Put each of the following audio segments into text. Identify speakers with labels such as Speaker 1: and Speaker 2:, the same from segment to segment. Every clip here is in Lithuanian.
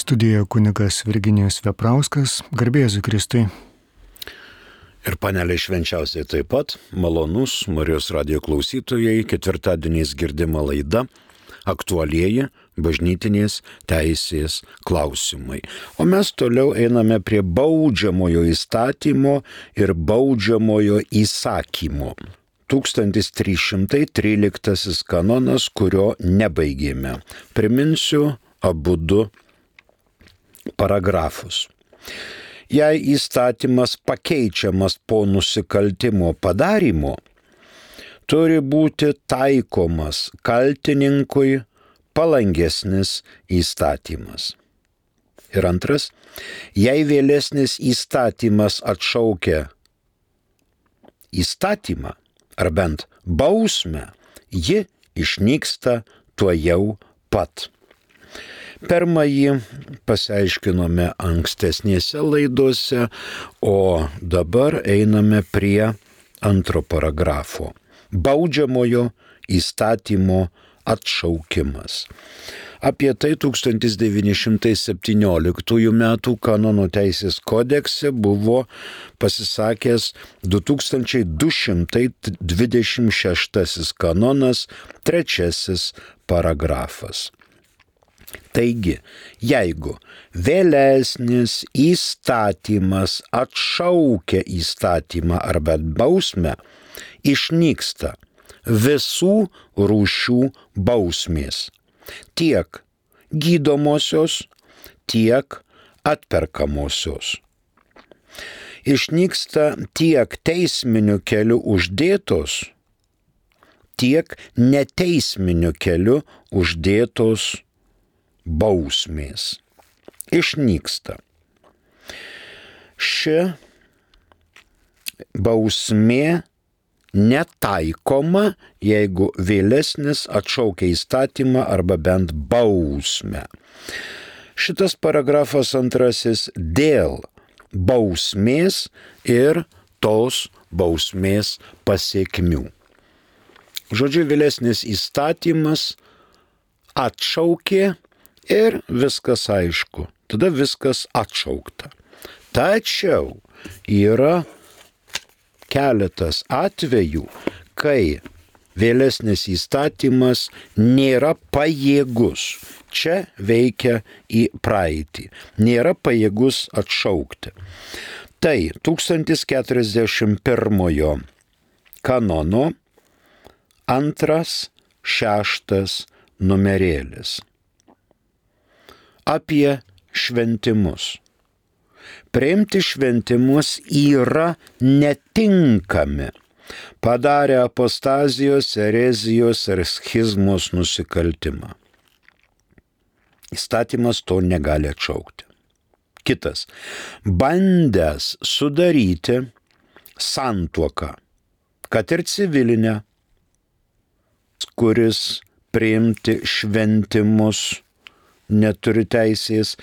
Speaker 1: Studijoje kunigas Virginijus Veprauskas, garbė Jėzui Kristui.
Speaker 2: Ir panelė švenčiausiai taip pat, malonus Marijos radijo klausytojai, ketvirtadieniais girdima laida aktualieji bažnytinės teisės klausimai. O mes toliau einame prie baudžiamojo įstatymo ir baudžiamojo įsakymo. 1313 kanonas, kurio nebaigėme. Priminsiu abudu paragrafus. Jei įstatymas pakeičiamas po nusikaltimo padarymo, turi būti taikomas kaltininkui palangesnis įstatymas. Ir antras, jei vėlesnis įstatymas atšaukia įstatymą ar bent bausmę, ji išnyksta tuojau pat. Pirmąjį pasiaiškinome ankstesnėse laidose, o dabar einame prie antro paragrafo. Baudžiamojo įstatymo atšaukimas. Apie tai 1917 m. Kanonų teisės kodekse buvo pasisakęs 2226 kanonas, 3 paragrafas. Taigi, jeigu vėlesnis įstatymas atšaukia įstatymą arba bausmę, išnyksta visų rūšių bausmės, tiek gydomosios, tiek atperkamosios. Išnyksta tiek teisminiu keliu uždėtos, tiek neteisminiu keliu uždėtos bausmės. Išnyksta. Ši bausmė netaikoma, jeigu vėlesnis atšaukia įstatymą arba bent bausmę. Šitas paragrafas antrasis dėl bausmės ir tos bausmės pasiekmių. Žodžiu, vėlesnis įstatymas atšaukė ir viskas aišku. Tada viskas atšaukta. Tačiau yra keletas atvejų, kai vėlesnis įstatymas nėra pajėgus. Čia veikia į praeitį. Nėra pajėgus atšaukti. Tai 1041 kanono 2-6 numerėlis. Apie šventimus. Priimti šventimus yra netinkami, padarę apostazijos, erezijos ar schizmos nusikaltimą. Įstatymas to negali atšaukti. Kitas. Bandęs sudaryti santuoką, kad ir civilinę, kuris priimti šventimus neturi teisės,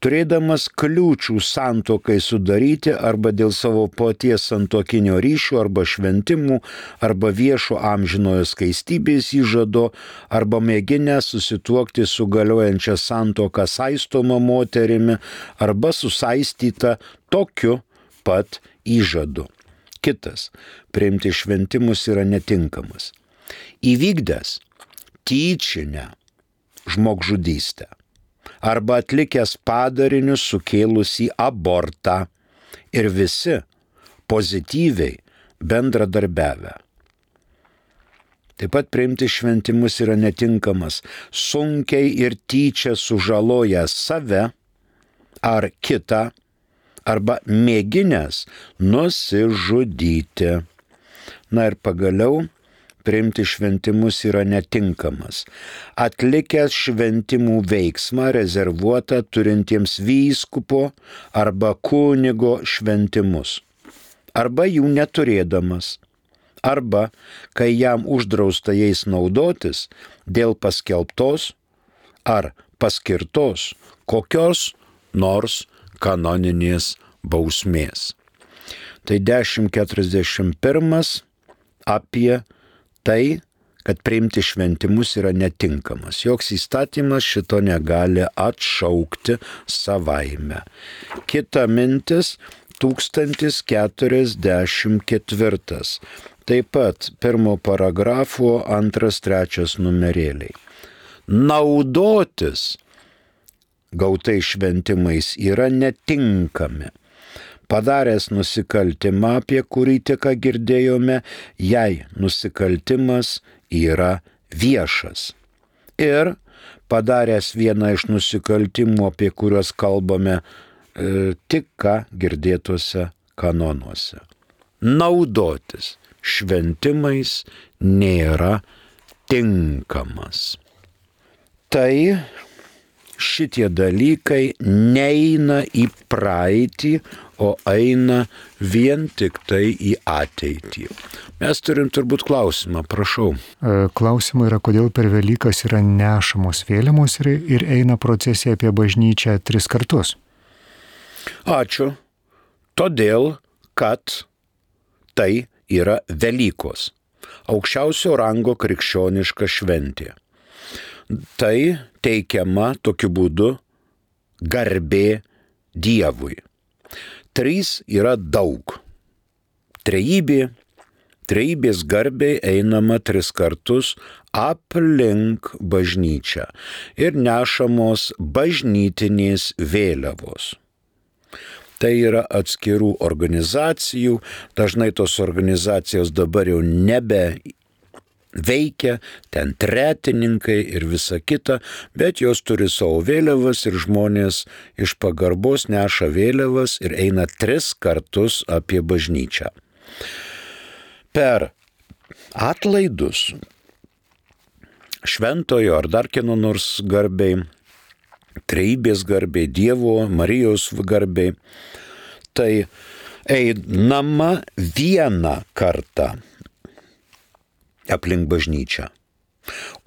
Speaker 2: turėdamas kliūčių santuokai sudaryti arba dėl savo paties santuokinio ryšio arba šventimų, arba viešo amžinojo skaistybės įžado, arba mėginę susituokti su galiojančia santuoka saistoma moterimi, arba susaistyta tokiu pat įžadu. Kitas. Priimti šventimus yra netinkamas. Įvykdęs tyčinę žmogžudystę arba atlikęs padarinius sukėlusį abortą ir visi pozityviai bendradarbiavę. Taip pat priimti šventimus yra netinkamas, sunkiai ir tyčia sužalojęs save ar kitą, arba mėginęs nusižudyti. Na ir pagaliau, priimti šventimus yra netinkamas, atlikęs šventimų veiksmą rezervuotą turintiems vyskupo arba kunigo šventimus, arba jų neturėdamas, arba kai jam uždrausta jais naudotis dėl paskelbtos ar paskirtos kokios nors kanoninės bausmės. Tai 1041 apie tai, kad priimti šventimus yra netinkamas. Joks įstatymas šito negali atšaukti savaime. Kita mintis 1044. Taip pat pirmo paragrafo 2-3 numerėliai. Naudotis gautais šventimais yra netinkami. Padaręs nusikaltimą, apie kurį tik girdėjome, jei nusikaltimas yra viešas. Ir padaręs vieną iš nusikaltimų, apie kuriuos kalbame tik ką girdėtuose kanonuose. Naudotis šventimais nėra tinkamas. Tai šitie dalykai neina į praeitį, o eina vien tik tai į ateitį. Mes turim turbūt klausimą, prašau.
Speaker 1: Klausimai yra, kodėl per Velykas yra nešamos vėliavos ir eina procesija apie bažnyčią 3 kartus.
Speaker 2: Ačiū. Todėl, kad tai yra Velykos. Aukščiausio rango krikščioniška šventė. Tai teikiama tokiu būdu garbė Dievui. 3 yra daug. Trejybės garbei einama 3 kartus aplink bažnyčią ir nešamos bažnytinės vėliavos. Tai yra atskirų organizacijų, dažnai tos organizacijos dabar jau nebe veikia, ten tretininkai ir visa kita, bet jos turi savo vėliavas ir žmonės iš pagarbos neša vėliavas ir eina 3 kartus apie bažnyčią. Per atlaidus šventojo ar dar kieno nors garbei, trejybės garbei, Dievo, Marijos garbei, tai einama 1 kartą aplink bažnyčią.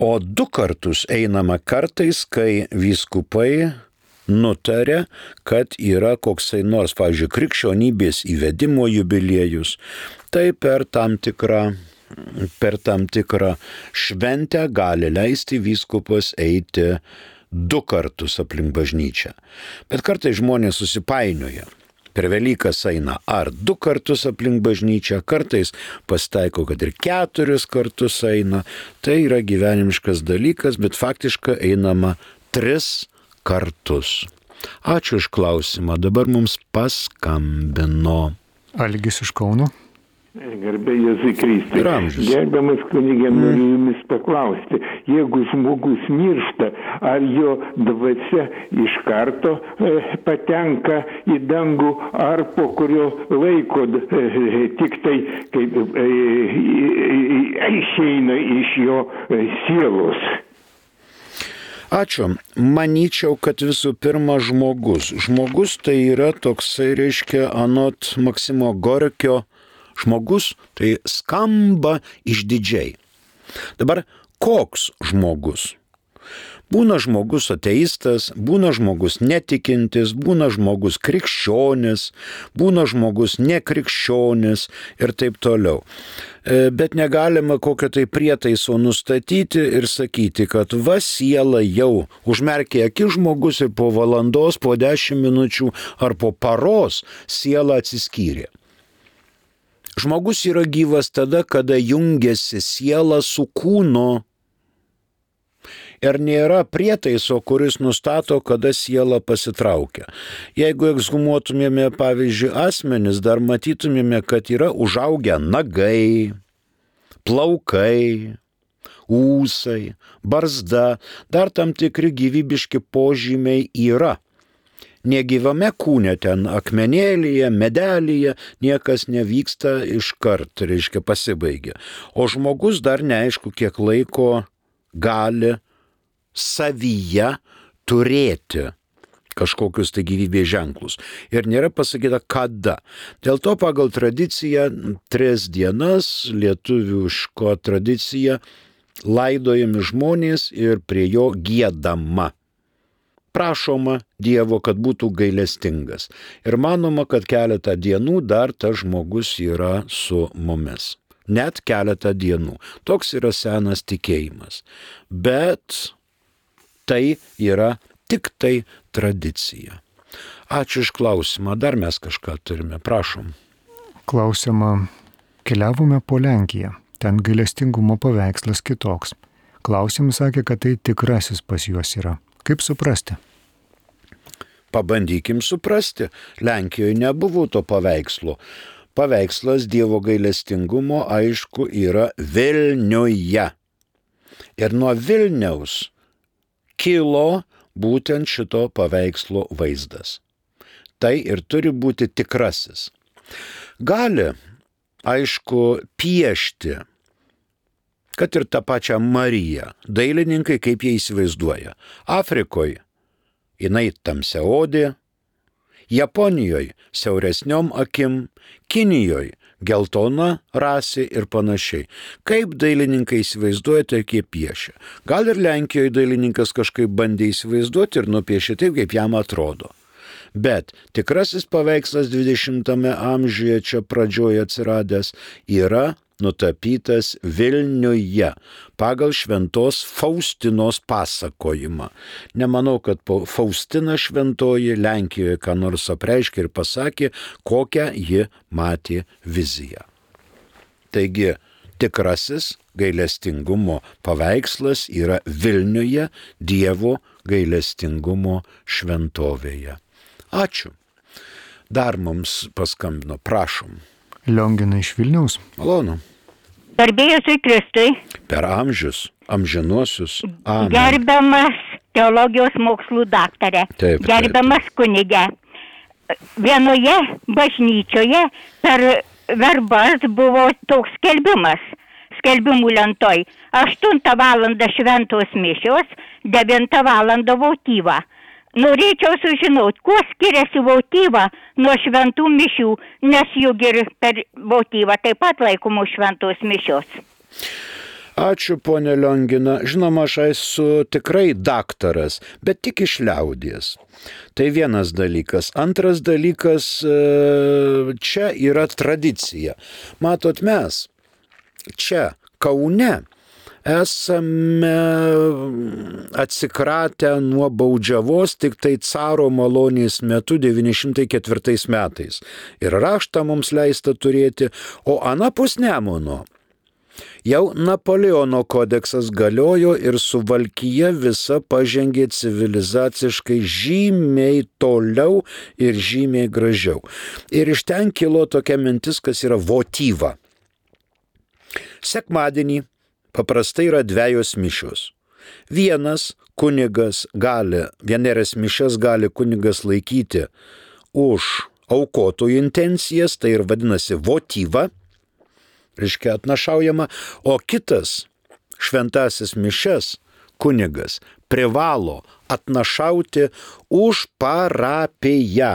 Speaker 2: O 2 kartus einama kartais, kai vyskupai nutarė, kad yra koksai nors, pavyzdžiui, krikščionybės įvedimo jubiliejus. Tai per tam tikrą šventę gali leisti vyskupas eiti 2 kartus aplink bažnyčią. Bet kartais žmonės susipainioja. Per Velykas eina ar 2 kartus aplink bažnyčią, kartais pasitaiko, kad ir 4 kartus eina. Tai yra gyvenimiškas dalykas, bet faktiškai einama 3 kartus. Ačiū už klausimą. Dabar mums paskambino
Speaker 1: Algis iš Kauno.
Speaker 3: Garbė Jėzui Kristui.
Speaker 2: Ramžis.
Speaker 3: Gerbiamas kunigė, noriu jumis paklausti, jeigu žmogus miršta, ar jo dvasia iš karto patenka į dangų, ar po kurio laiko tik tai išeina iš jo sielos?
Speaker 2: Ačiū. Manyčiau, kad visų pirma žmogus. Žmogus tai yra toksai, reiškia, anot Maksimo Gorkio, žmogus tai skamba išdidžiai. Dabar koks žmogus? Būna žmogus ateistas, būna žmogus netikintis, būna žmogus krikščionis, būna žmogus nekrikščionis ir taip toliau. Bet negalima kokio tai prietaiso nustatyti ir sakyti, kad va siela jau užmerkė akis žmogus ir po valandos, po 10 minučių ar po paros siela atsiskyrė. Žmogus yra gyvas tada, kada jungiasi siela su kūnu. Ir nėra prietaiso, kuris nustato, kada siela pasitraukia. Jeigu ekshumuotumėme, pavyzdžiui, asmenis, dar matytumėme, kad yra užaugę nagai, plaukai, ūsai, barzda, dar tam tikri gyvybiški požymiai yra. Negyvame kūne ten akmenėlyje, medelyje niekas nevyksta iškart, reiškia pasibaigia. O žmogus dar neaišku, kiek laiko gali savyje turėti kažkokius tai gyvybės ženklus. Ir nėra pasakyta kada. Dėl to pagal tradiciją 3 dienas, lietuviško tradicija, laidojami žmonės ir prie jo giedama. Prašoma Dievo, kad būtų gailestingas. Ir manoma, kad keletą dienų dar tas žmogus yra su mumis. net keletą dienų. Toks yra senas tikėjimas. Bet tai yra tik tai tradicija. Ačiū iš klausimą. Dar mes kažką turime. Prašom.
Speaker 1: Klausimą. Keliavome po Lenkiją. Ten gailestingumo paveikslas kitoks. Klausimai sakė, kad tai tikrasis pas juos yra. Kaip suprasti?
Speaker 2: Pabandykim suprasti. Lenkijoje nebuvo to paveikslo. Paveikslas Dievo gailestingumo, aišku, yra Vilniuje. Ir nuo Vilniaus kilo būtent šito paveikslo vaizdas. Tai ir turi būti tikrasis. Gali, aišku, piešti, kad ir tą pačią Mariją, dailininkai kaip jie įsivaizduoja. Afrikoje jinai tamsiaodė, Japonijoje siauresniom akim, Kinijoje geltona rasė ir panašiai. Kaip dailininkai įsivaizduoja, tai kaip piešia. Gal ir Lenkijoje dailininkas kažkaip bandė įsivaizduoti ir nupiešė taip, kaip jam atrodo. Bet tikrasis paveikslas 20 amžiuje čia pradžioje atsiradęs yra nutapytas Vilniuje pagal šventos Faustinos pasakojimą. Nemanau, kad Faustina šventoji Lenkijoje ką nors apreiškė ir pasakė, kokią ji matė viziją. Taigi, tikrasis gailestingumo paveikslas yra Vilniuje Dievo gailestingumo šventovėje. Ačiū. Dar mums paskambino, prašom.
Speaker 1: Liongina iš Vilniaus.
Speaker 2: Malonu.
Speaker 4: Garbėjusui Kristui.
Speaker 2: Per amžius, amžinuosius. Amen.
Speaker 4: Gerbiamas teologijos mokslų daktarė.
Speaker 2: Taip.
Speaker 4: Gerbiamas kunige. Vienoje bažnyčioje per verbas buvo toks skelbimas. Skelbimų lentoj. 8 valandą šventos mišios, 9 valandą votyva. Norėčiau sužinoti, kuo skiriasi votyva nuo šventų mišių, nes juk ir per votyvą taip pat laikomos šventos mišios.
Speaker 2: Ačiū, ponė Liongina. Žinoma, aš esu tikrai daktaras, bet tik iš liaudies. Tai vienas dalykas. Antras dalykas, čia yra tradicija. Matot, mes čia Kaune esame atsikratę nuo baudžiavos tik tai caro malonės metu 904 metais. Ir raštą mums leista turėti, o anapus Nemuno jau Napoleono kodeksas galiojo ir Suvalkija visa pažengė civilizaciškai žymiai toliau ir žymiai gražiau. Ir iš ten kilo tokia mintis, kas yra votyva. Sekmadienį paprastai yra 2 mišios. Vienas kunigas gali, vienerias mišias gali kunigas laikyti už aukotojų intencijas, tai ir vadinasi votyva, reiškia atnašaujama, o kitas šventasis mišias kunigas privalo atnašauti už parapiją.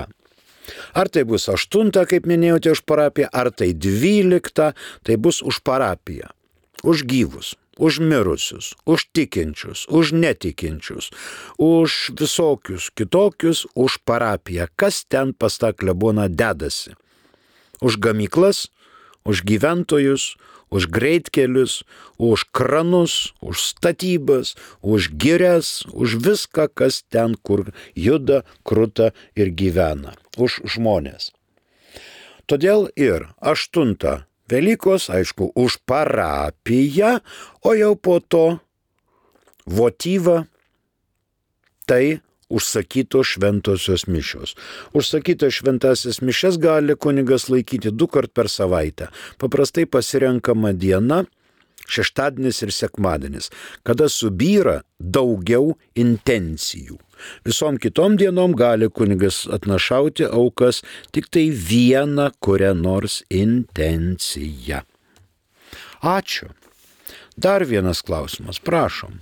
Speaker 2: Ar tai bus 8, kaip minėjote, už parapiją, ar tai 12, tai bus už parapiją. Už gyvus, už mirusius, už tikinčius, už netikinčius, už visokius kitokius, už parapiją. Kas ten pas tą kleboną dedasi? Už gamyklas, už gyventojus, už greitkelius, už kranus, už statybas, už girias, už viską, kas ten, kur juda, kruta ir gyvena. Už žmonės. Todėl ir 8 Velykos, aišku, už parapiją, o jau po to votyva, tai užsakytos šventosios mišios. Užsakytos šventasis mišias gali kunigas laikyti 2 kart per savaitę. Paprastai pasirenkama diena, šeštadienis ir sekmadienis, kada subyra daugiau intencijų. Visom kitom dienom gali kunigas atnašauti aukas tik tai vieną kurią nors intenciją. Ačiū. Dar vienas klausimas, prašom.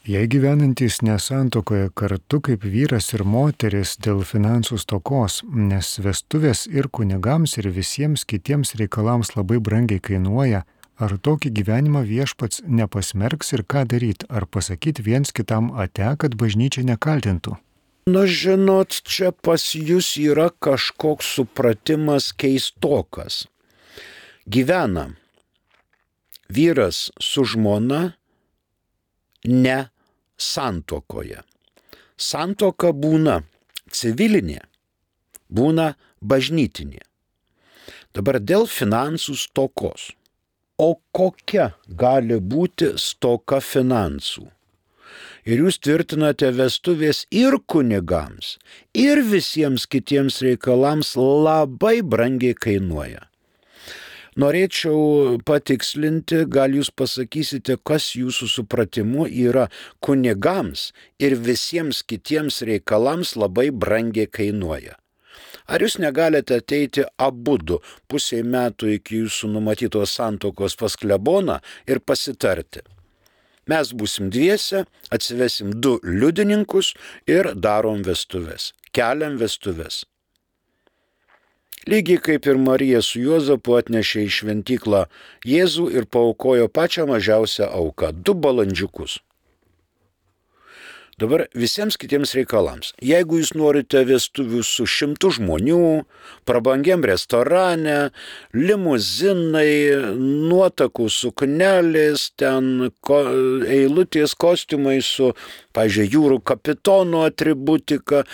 Speaker 1: Jei gyvenantys nesantuokoje kartu kaip vyras ir moteris dėl finansų stokos, nes vestuvės ir kunigams ir visiems kitiems reikalams labai brangiai kainuoja, ar tokį gyvenimą viešpats nepasmerks ir ką daryti, ar pasakyti viens kitam ate, kad bažnyčia nekaltintų?
Speaker 2: Na, žinot, čia pas jūs yra kažkoks supratimas keistokas. Gyvena vyras su žmona ne santuokoje. Santuoka būna civilinė, būna bažnytinė. Dabar dėl finansų stokos. O kokia gali būti stoka finansų? Ir jūs tvirtinate, vestuvės ir kunigams, ir visiems kitiems reikalams labai brangiai kainuoja. Norėčiau patikslinti, gal jūs pasakysite, kas jūsų supratimu yra kunigams ir visiems kitiems reikalams labai brangiai kainuoja. Ar jūs negalite ateiti abudu pusei metų iki jūsų numatytos santuokos pas kleboną ir pasitarti? Mes būsim dviese, atsivesim 2 liudininkus ir darom vestuves, keliam vestuves. Lygiai kaip ir Marija su Juozapu atnešė į šventyklą Jėzų ir paaukojo pačią mažiausią auką – 2 balandžiukus. Dabar visiems kitiems reikalams. Jeigu jūs norite vestuvių su 100 žmonių, prabangiam restorane, limuzinai, nuotakų suknelės, ten eilutės kostiumai su, pavyzdžiui, jūrų kapitono atributika,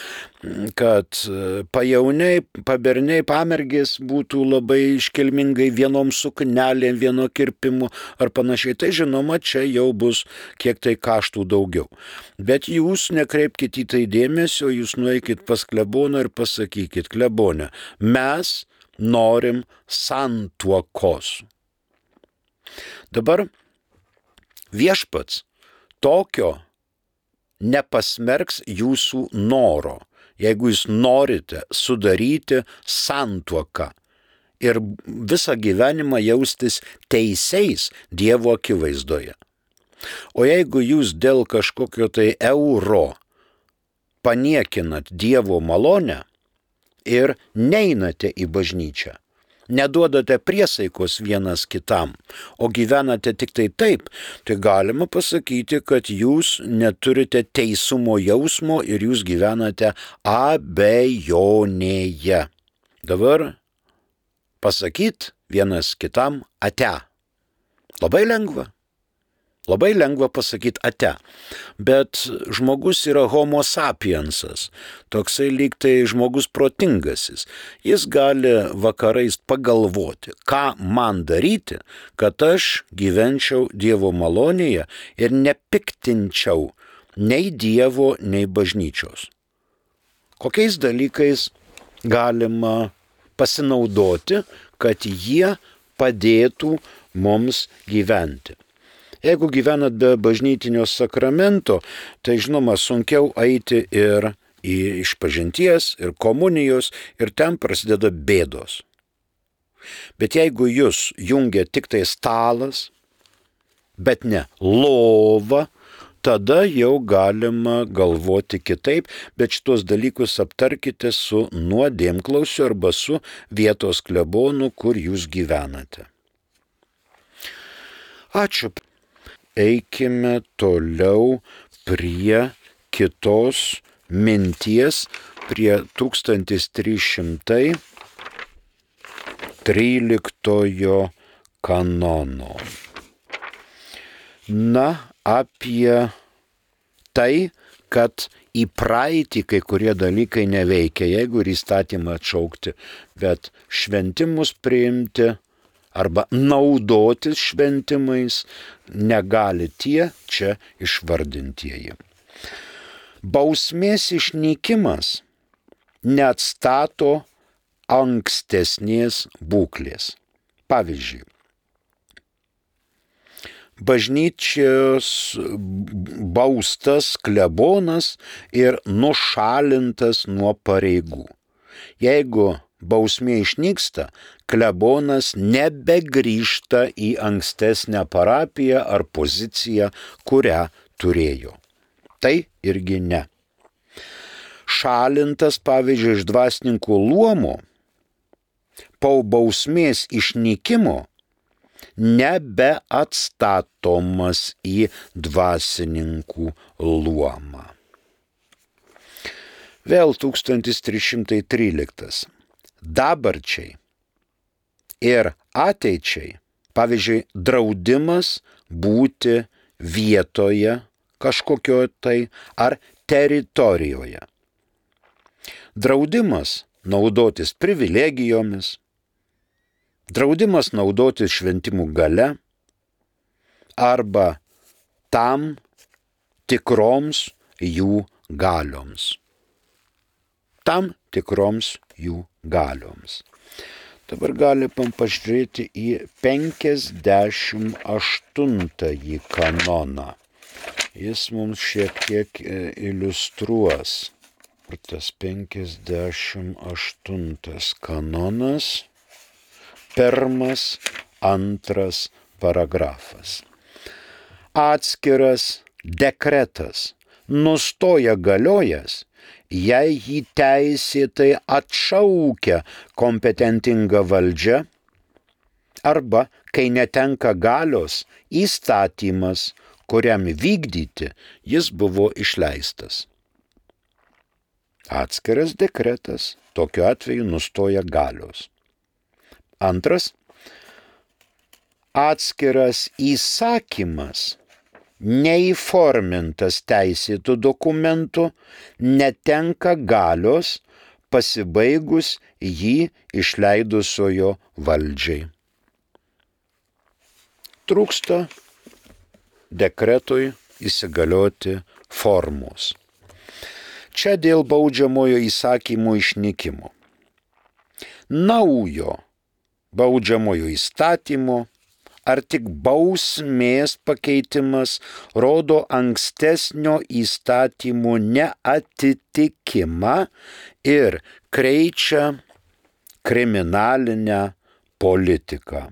Speaker 2: kad pajauniai, paberniai, pamergės būtų labai iškilmingai vienom suknelėm, vieno kirpimu ar panašiai. Tai žinoma, čia jau bus kiek tai kaštų daugiau. Bet jūs nekreipkite į tai dėmesio, jūs nueikit pas kleboną ir pasakykit, klebone, mes norim santuokos. Dabar viešpats tokio nepasmerks jūsų noro, jeigu jūs norite sudaryti santuoką ir visą gyvenimą jaustis teisiais Dievo akivaizdoje. O jeigu jūs dėl kažkokio tai euro paniekinat Dievo malonę ir neinate į bažnyčią, neduodate priesaikos vienas kitam, o gyvenate tik tai taip, tai galima pasakyti, kad jūs neturite teisumo jausmo ir jūs gyvenate abejonėje. Dabar pasakyt vienas kitam ate. Labai lengva. Labai lengva pasakyti ate, bet žmogus yra homo sapiensas, toksai lyg tai žmogus protingasis. Jis gali vakarais pagalvoti, ką man daryti, kad aš gyvenčiau Dievo malonėje ir nepiktinčiau nei Dievo, nei bažnyčios. Kokiais dalykais galima pasinaudoti, kad jie padėtų mums gyventi. Jeigu gyvenat be bažnytinio sakramento, tai žinoma sunkiau eiti ir į išpažinties, ir komunijos, ir ten prasideda bėdos. Bet jeigu jūs jungia tik tai stalas, bet ne lova, tada jau galima galvoti kitaip, bet šitos dalykus aptarkite su nuodėmklausiu arba su vietos klebonu, kur jūs gyvenate. Ačiū. Eikime toliau prie kitos minties, prie 1313 kanono. Na, apie tai, kad į praeitį kai kurie dalykai neveikia, jeigu ir įstatymą atšaukti, bet šventimus priimti arba naudotis šventimais negali tie čia išvardintieji. Bausmės išnykimas neatstato ankstesnės būklės. Pavyzdžiui, bažnyčios baustas klebonas ir nušalintas nuo pareigų. Jeigu bausmė išnyksta, klebonas nebegrįžta į ankstesnę parapiją ar poziciją, kurią turėjo. Tai irgi ne. Šalintas, pavyzdžiui, iš dvasininkų luomo, po bausmės išnykimo nebeatstatomas į dvasininkų luomą. Vėl 1313. Dabarčiai ir ateičiai Pavyzdžiui, draudimas būti vietoje kažkokio tai ar teritorijoje. Draudimas naudotis privilegijomis, draudimas naudotis šventimų gale arba tam tikroms jų galioms. Tam tikroms jų galioms. Dabar galime pažiūrėti į 58 kanoną. Jis mums šiek tiek iliustruos. Tas 58 kanonas, 1-2 paragrafas. Atskiras dekretas nustoja galiojas, jei jį teisėtai atšaukia kompetentinga valdžia arba kai netenka galios įstatymas, kuriam vykdyti jis buvo išleistas. Atskiras dekretas tokiu atveju nustoja galios. Antras, atskiras įsakymas neįformintas teisėtų dokumentų netenka galios pasibaigus jį išleidusiojo valdžiai. Trūksta dekretui įsigalioti formos. Čia dėl baudžiamojo įsakymo išnykimo. Naujo baudžiamojo įstatymo ar tik bausmės pakeitimas rodo ankstesnio įstatymo neatitikimą ir kreičia kriminalinę politiką.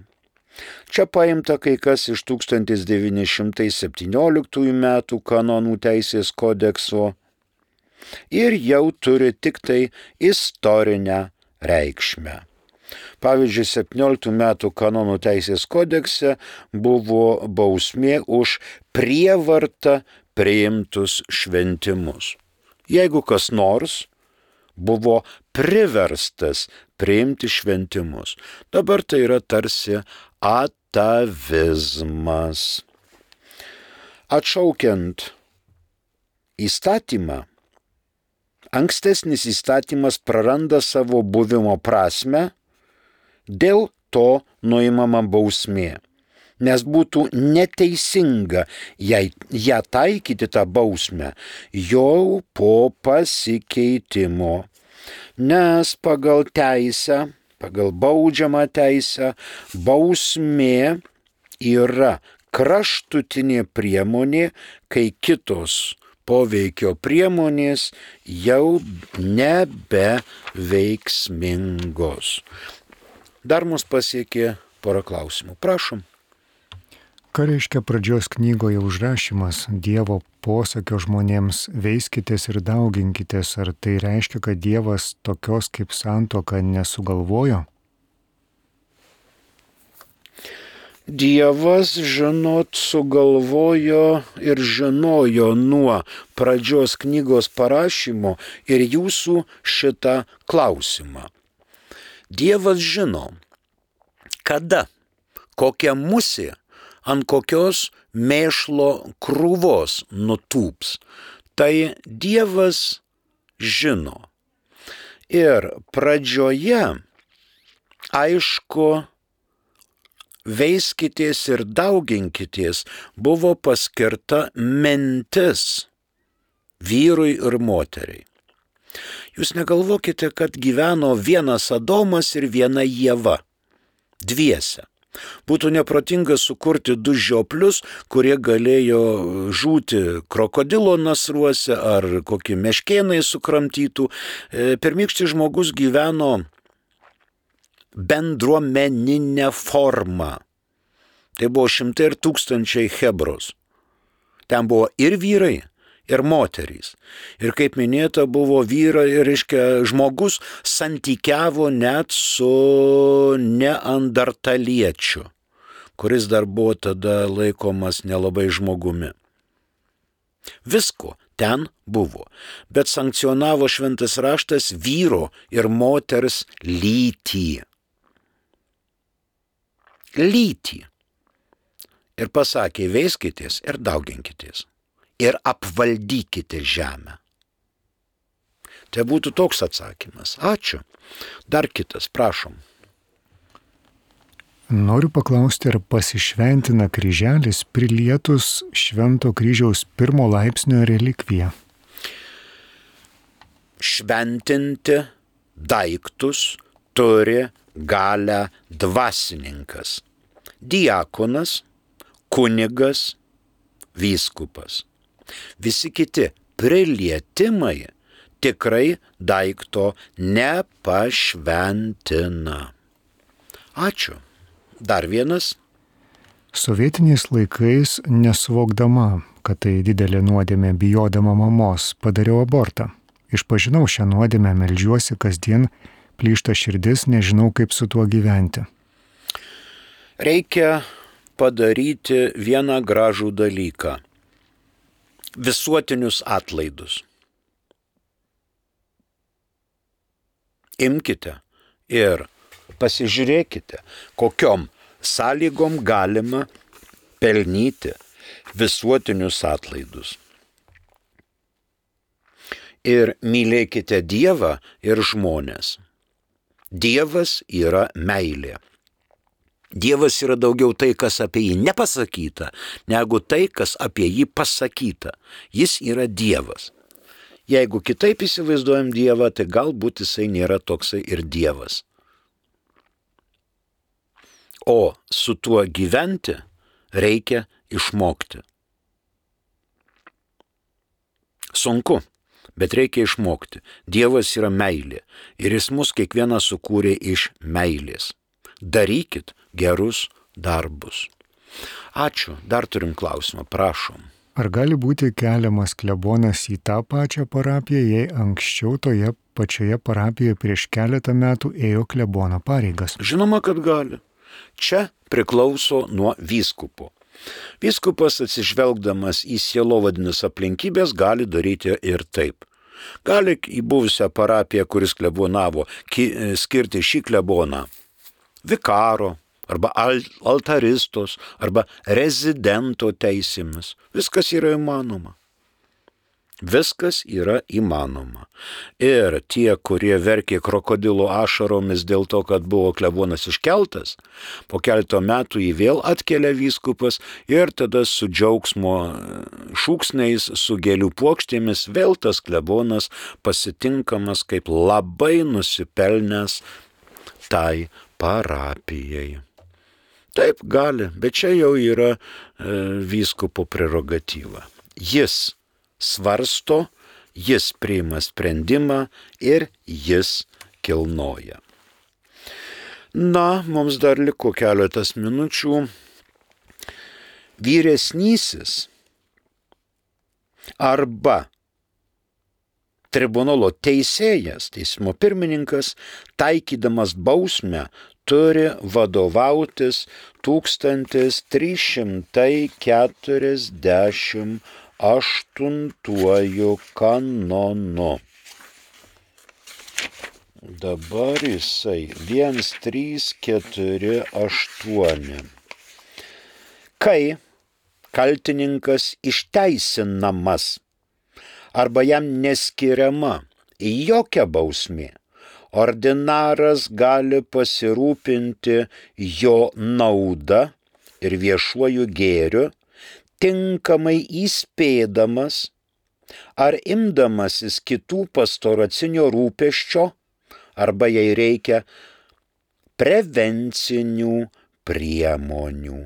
Speaker 2: Čia paimta kai kas iš 1917 metų kanonų teisės kodekso ir jau turi tik tai istorinę reikšmę. Pavyzdžiui, 17 metų kanonų teisės kodekse buvo bausmė už prievartą priimtus šventimus. Jeigu kas nors buvo priverstas priimti šventimus, dabar tai yra tarsi atavizmas. Atšaukiant įstatymą, ankstesnis įstatymas praranda savo buvimo prasmę, dėl to nuimama bausmė, nes būtų neteisinga ją taikyti tą bausmę jau po pasikeitimo, nes pagal teisę, pagal baudžiamą teisę, bausmė yra kraštutinė priemonė, kai kitos poveikio priemonės jau nebeveiksmingos. Dar mus pasiekė porą klausimų. Prašom.
Speaker 1: Ką reiškia pradžios knygoje užrašymas Dievo posakio žmonėms veiskitės ir dauginkitės? Ar tai reiškia, kad Dievas tokios kaip santuoka nesugalvojo?
Speaker 2: Dievas, žinot, sugalvojo ir žinojo nuo pradžios knygos parašymo ir jūsų šitą klausimą. Dievas žino, kada, kokia musė ant kokios mėšlo krūvos nutūps. Tai Dievas žino. Ir pradžioje, aišku, veiskitės ir dauginkitės buvo paskirta mintis vyrui ir moteriai. Jūs negalvokite, kad gyveno vienas Adomas ir viena Ieva, dviese. Būtų neprotinga sukurti du žioplius, kurie galėjo žūti krokodilo nasruose ar kokį meškėnai sukramtytų. Pirmykštis žmogus gyveno bendruomeninę formą. Tai buvo šimtai ir tūkstančiai chebros. Ten buvo ir vyrai, ir moterys. Ir kaip minėta, buvo vyrai, reiškia, žmogus santykiavo net su neandertaliečiu, kuris dar buvo tada laikomas nelabai žmogumi. Visko ten buvo, bet sankcionavo šventas raštas vyro ir moters lytį. lytį. Ir pasakė, veiskitės ir dauginkitės. Ir apvaldykite žemę. Tai būtų toks atsakymas. Ačiū. Dar kitas, prašom.
Speaker 1: Noriu paklausti, ar pasišventina kryželis prilietus Švento kryžiaus 1 laipsnio relikviją?
Speaker 2: Šventinti daiktus turi galę dvasininkas. Diakonas, kunigas, vyskupas. Visi kiti prilietimai tikrai daikto nepašventina. Ačiū. Dar vienas.
Speaker 1: Sovietiniais laikais, nesuvokdama, kad tai didelė nuodėmė, bijodama mamos, padariau abortą. Išpažinau šią nuodėmę, meldžiuosi kasdien, plyšta širdis, nežinau kaip su tuo gyventi.
Speaker 2: Reikia padaryti vieną gražų dalyką. Visuotinius atlaidus. Imkite ir pasižiūrėkite, kokiom sąlygom galima pelnyti visuotinius atlaidus. Ir mylėkite Dievą ir žmonės. Dievas yra meilė. Dievas yra daugiau tai, kas apie jį nepasakyta, negu tai, kas apie jį pasakyta. Jis yra Dievas. Jeigu kitaip įsivaizduojam Dievą, tai galbūt jisai nėra toksai ir Dievas. O su tuo gyventi reikia išmokti. Sunku, bet reikia išmokti. Dievas yra meilė ir jis mus kiekvieną sukūrė iš meilės. Darykit gerus darbus. Ačiū. Dar turim klausimą, prašom.
Speaker 1: Ar gali būti keliamas klebonas į tą pačią parapiją, jei anksčiau toje pačioje parapijoje prieš keletą metų ėjo klebono pareigas?
Speaker 2: Žinoma, kad gali. Čia priklauso nuo vyskupo. Vyskupas atsižvelgdamas į sielovadines aplinkybės gali daryti ir taip. Gali į buvusią parapiją, kuris klebonavo, skirti šį kleboną vikaro, arba altaristos, arba rezidento teisėmis. Viskas yra įmanoma. Viskas yra įmanoma. Ir tie, kurie verkė krokodilo ašaromis dėl to, kad buvo klebonas iškeltas, po keleto metų jį vėl atkelia vyskupas ir tada su džiaugsmo šūksniais, su gėlių puokštėmis vėl tas klebonas pasitinkamas kaip labai nusipelnęs tai parapijai. Taip gali, bet čia jau yra vyskupo prerogatyva. Jis svarsto, jis priima sprendimą ir jis kilnoja. Na, mums dar liko keletas minučių. Vyresnysis arba tribunolo teisėjas, teismo pirmininkas, taikydamas bausmę, turi vadovautis 1348 kanonu. Dabar jisai 1348. Kai kaltininkas išteisinamas arba jam neskiriama jokia bausmė, ordinaras gali pasirūpinti jo naudą ir viešuoju gėriu, tinkamai įspėdamas ar imdamasis kitų pastoracinio rūpesčio, arba jei reikia prevencinių priemonių.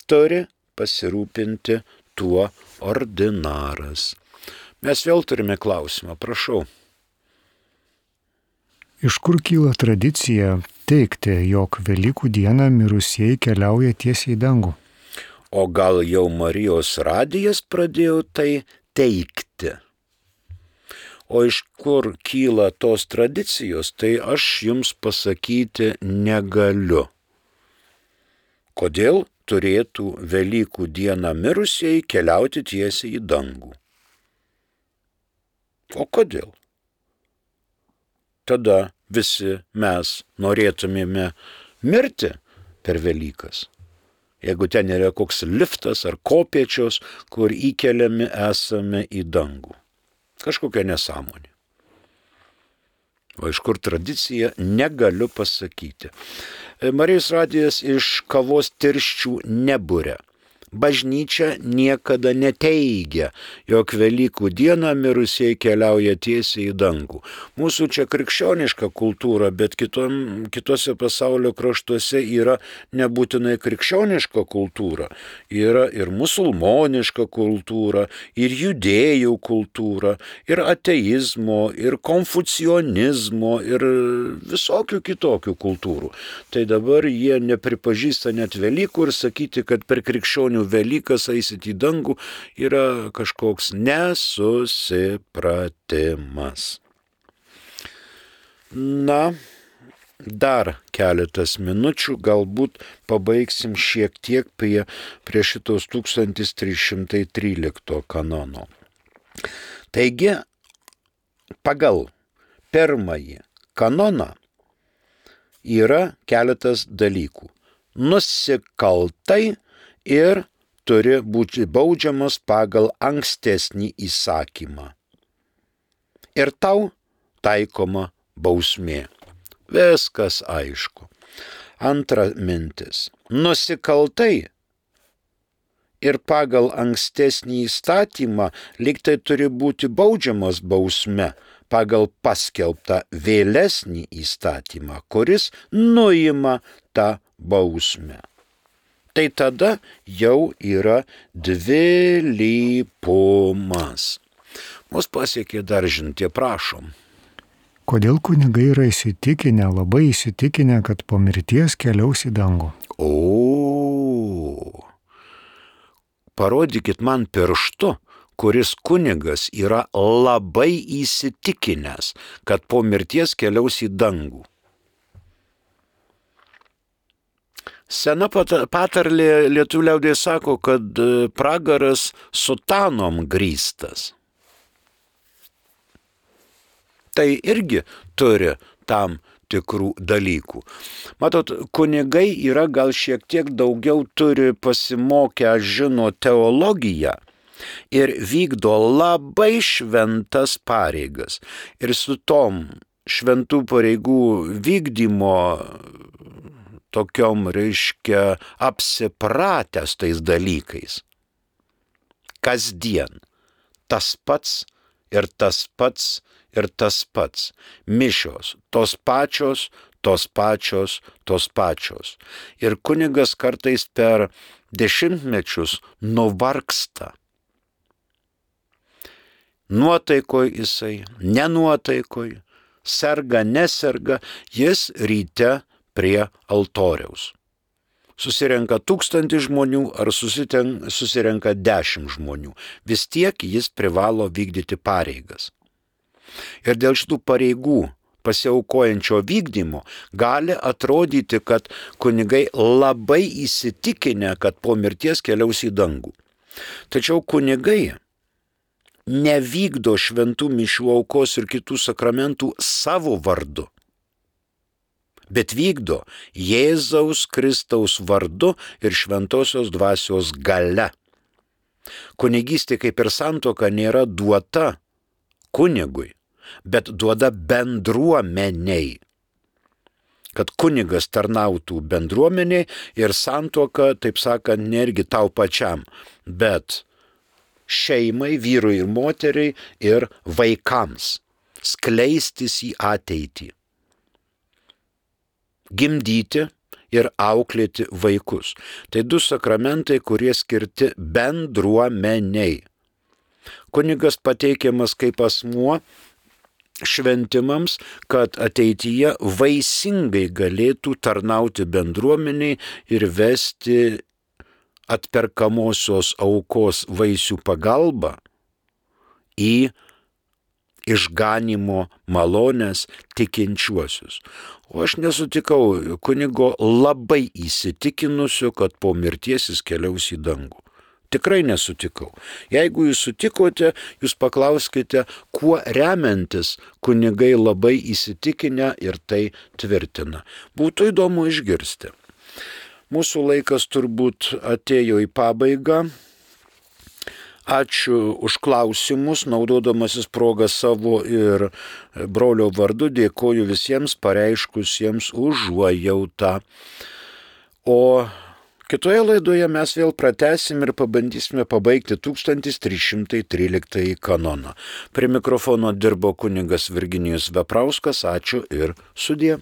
Speaker 2: Turi pasirūpinti tuo ordinaras. Mes vėl turime klausimą, prašau.
Speaker 1: Iš kur kyla tradicija teigti, jog Velykų dieną mirusieji keliauja tiesiai į dangų?
Speaker 2: O gal jau Marijos radijas pradėjo tai teikti? O iš kur kyla tos tradicijos, tai aš jums pasakyti negaliu. Kodėl turėtų Velykų dieną mirusieji keliauti tiesiai į dangų? O kodėl? Tada visi mes norėtumėme mirti, per Velykas. Jeigu ten yra koks liftas ar kopėčios, kur įkeliami esame į dangų. Kažkokia nesąmonė. O iš kur tradicija, negaliu pasakyti. Marijos radijas iš kavos tirščių neburia. Bažnyčia niekada neteigia, jog Velykų dieną mirusieji keliauja tiesiai į dangų. Mūsų čia krikščioniška kultūra, bet kitose pasaulio kraštuose yra nebūtinai krikščioniška kultūra. Yra ir musulmoniška kultūra, ir judėjų kultūra, ir ateizmo, ir konfucionizmo, ir visokių kitokių kultūrų. Tai dabar jie nepripažįsta net Velykų ir sakyti, kad per krikščionių Velykas eisit į dangų yra kažkoks nesusipratimas. Na, dar keletas minučių, galbūt pabaigsim šiek tiek prie šitos 1313 kanono. Taigi, pagal pirmąjį kanoną yra keletas dalykų. Nusikaltai ir turi būti baudžiamas pagal ankstesnį įsakymą. Ir tau taikoma bausmė. Viskas aišku. Antra mintis. Nusikaltai ir pagal ankstesnį įstatymą lyg tai turi būti baudžiamas bausme pagal paskelbtą vėlesnį įstatymą, kuris nuima tą bausmę. Tai tada jau yra dvilypumas. Mus pasiekė daržintė, prašom.
Speaker 1: Kodėl kunigai yra įsitikinę, labai įsitikinę, kad po mirties keliaus į dangų?
Speaker 2: Parodykit man pirštu, kuris kunigas yra labai įsitikinęs, kad po mirties keliaus į dangų. Sena patarlė lietuvių liaudyje sako, kad pragaras sutanom grįstas. Tai irgi turi tam tikrų dalykų. Matot, kunigai yra gal šiek tiek daugiau turi pasimokę, žino teologiją ir vykdo labai šventas pareigas. Ir su tom šventų pareigų vykdymo tokiom, reiškia, apsipratęs tais dalykais. Kasdien tas pats ir tas pats ir tas pats. Mišios, tos pačios. Ir kunigas kartais per dešimtmečius nuvargsta. Nuotaikoj jisai, nenuotaikoj, serga, neserga, jis ryte prie altoriaus. Susirenka 1000 žmonių ar susirenka 10 žmonių. Vis tiek jis privalo vykdyti pareigas. Ir dėl šitų pareigų pasiaukojančio vykdymo gali atrodyti, kad kunigai labai įsitikinę, kad po mirties keliaus į dangų. Tačiau kunigai nevykdo šventų mišių aukos ir kitų sakramentų savo vardu, bet vykdo Jėzaus Kristaus vardu ir šventosios dvasios galia. Kunigystė kaip ir santuoka nėra duota kunigui, bet duoda bendruomeniai. Kad kunigas tarnautų bendruomeniai ir santuoka, taip sakant, nergi tau pačiam, bet šeimai, vyrui ir moteriai ir vaikams skleistis į ateitį. Gimdyti ir auklėti vaikus. Tai 2 sakramentai, kurie skirti bendruomeniai. Kunigas pateikiamas kaip asmuo šventimams, kad ateityje vaisingai galėtų tarnauti bendruomeniai ir vesti atperkamosios aukos vaisių pagalbą į išganimo malonės tikinčiuosius. O aš nesutikau kunigo labai įsitikinusio, kad po mirties jis keliaus į dangų. Tikrai nesutikau. Jeigu jūs sutikote, jūs paklauskite, kuo remiantis kunigai labai įsitikinę ir tai tvirtina. Būtų įdomu išgirsti. Mūsų laikas turbūt atėjo į pabaigą. Ačiū už klausimus, naudodamasis progą savo ir brolio vardu dėkoju visiems pareiškusiems užuojautą. O kitoje laidoje mes vėl pratęsim ir pabandysime pabaigti 1313 kanoną. Prie mikrofono dirbo kunigas Virginijus Veprauskas. Ačiū ir sudie.